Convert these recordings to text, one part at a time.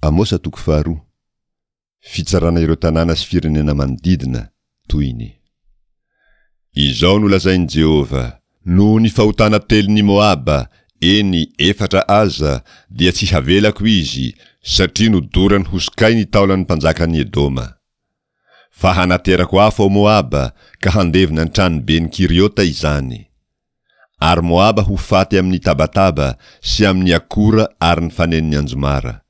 Amosa toko faharoa. Fitsarana ireo tanàna sy firenena manodidina, tohiny. Izao no lazain'i Jehovah, Noho ny fahotana telon'i Moaba, eny, efatra aza, dia tsy havelako izy, satria nodorany ho sokay ny taolan'ny mpanjakan'i Edoma. Fa hanaterako afo ao Moaba, ka handevona ny tranoben'i Kiriota izany. Ary Moaba ho faty amin'ny tabataba sy amin'ny akora ary ny fanenon'ny anjomara.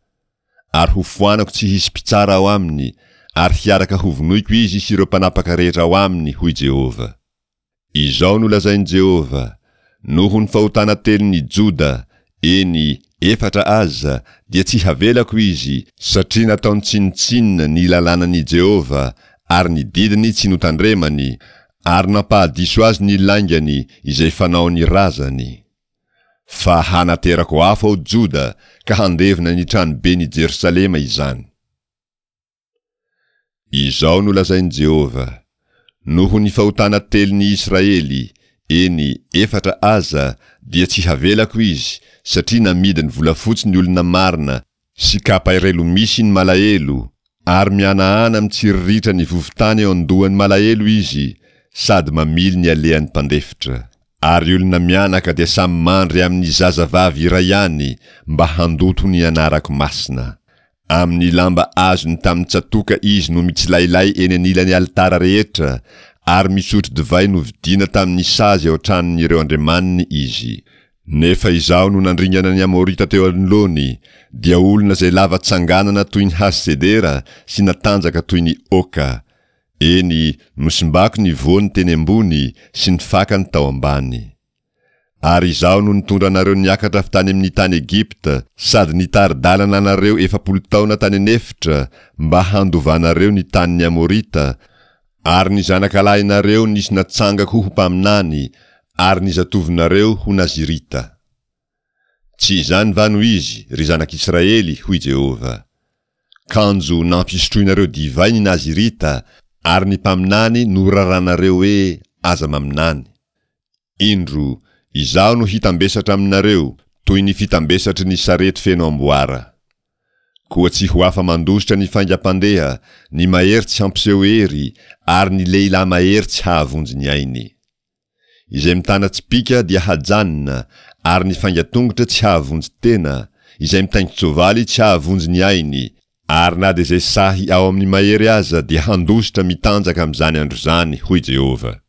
Ary hofoanako tsy hisy mpitsara ao aminy, ary hiaraka hovonoiko izy sy ireo mpanapaka rehetra ao aminy, hoy Jehovah. Izao no lazain'i Jehovah, Noho ny fahotana telon'i Joda, eny, efatra aza, dia tsy havelako izy, satria nataony tsinontsinona ny lalànan'i Jehovah ary ny didiny tsy notandremany, ary nampahadiso azy ny laingany izay fanaon'ny razany. Fa hanaterako afo ao Joda ka handevona ny tranoben'i Jerosalema izany. Izao no lazain'i Jehovah, Noho ny fahotana telon'i Israely, eny, efatra aza, dia tsy havelako izy, satria namidiny volafotsy ny olona marina sy kapa iray lomisy ny malahelo, ary mihanahana mitsiriritra ny vovon-tany eo an-dohan'ny malahelo izy, sady mamily ny alehan'ny mpandefitra. Ary olona mianaka dia samy mandry amin'ny zazavavy iray ihany mba handoto ny anarako masina. Amin'ny lamba azony tamin'ny tsatoka izy no mitsilailay eny anilan'ny alitara rehetra, ary misotro divay novidiana tamin'ny sazy ao an-tranon'ireo andriamaniny izy. Nefa izaho no nandringana ny Amorita teo anoloany, dia olona izay lava tsanganana toy ny hazo sedera sy natanjaka toy ny oaka. Eny, nosimbako ny voany teny ambony sy ny fakany tao ambany. Ary Izaho no nitondra anareo niakatra avy tany amin'ny tany Egypta, sady nitari-dalana anareo 40 taona tany an'efitra, mba handovanareo ny tanin'ny Amorita, ary ny zanakalahinareo nisy natsangako ho mpaminany, ary ny zatovonareo ho Nazirita. Tsy izany va no izy, ry zanak'Israely? hoy Jehovah. Kanjo nampisotroinareo divay ny Nazirita, ary ny mpaminany noraranareo hoe, Aza maminany. Indro, Izaho no hitambesatra aminareo, toy ny fitambesatry ny sarety feno amboara. Koa tsy ho afa-mandositra ny faingam-pandeha, ny mahery tsy hampiseho hery, ary ny lehilahy mahery tsy hahavonjy ny ainy. Izay mitana tsipìka dia hajanona, ary ny faingan-tongotra tsy hahavonjy tena, izay mitaingin-tsoavaly tsy hahavonjy ny ainy, ary na dia izay sahy ao amin'ny mahery aza dia handositra mitanjaka amin'izany andro izany, hoy Jehovah.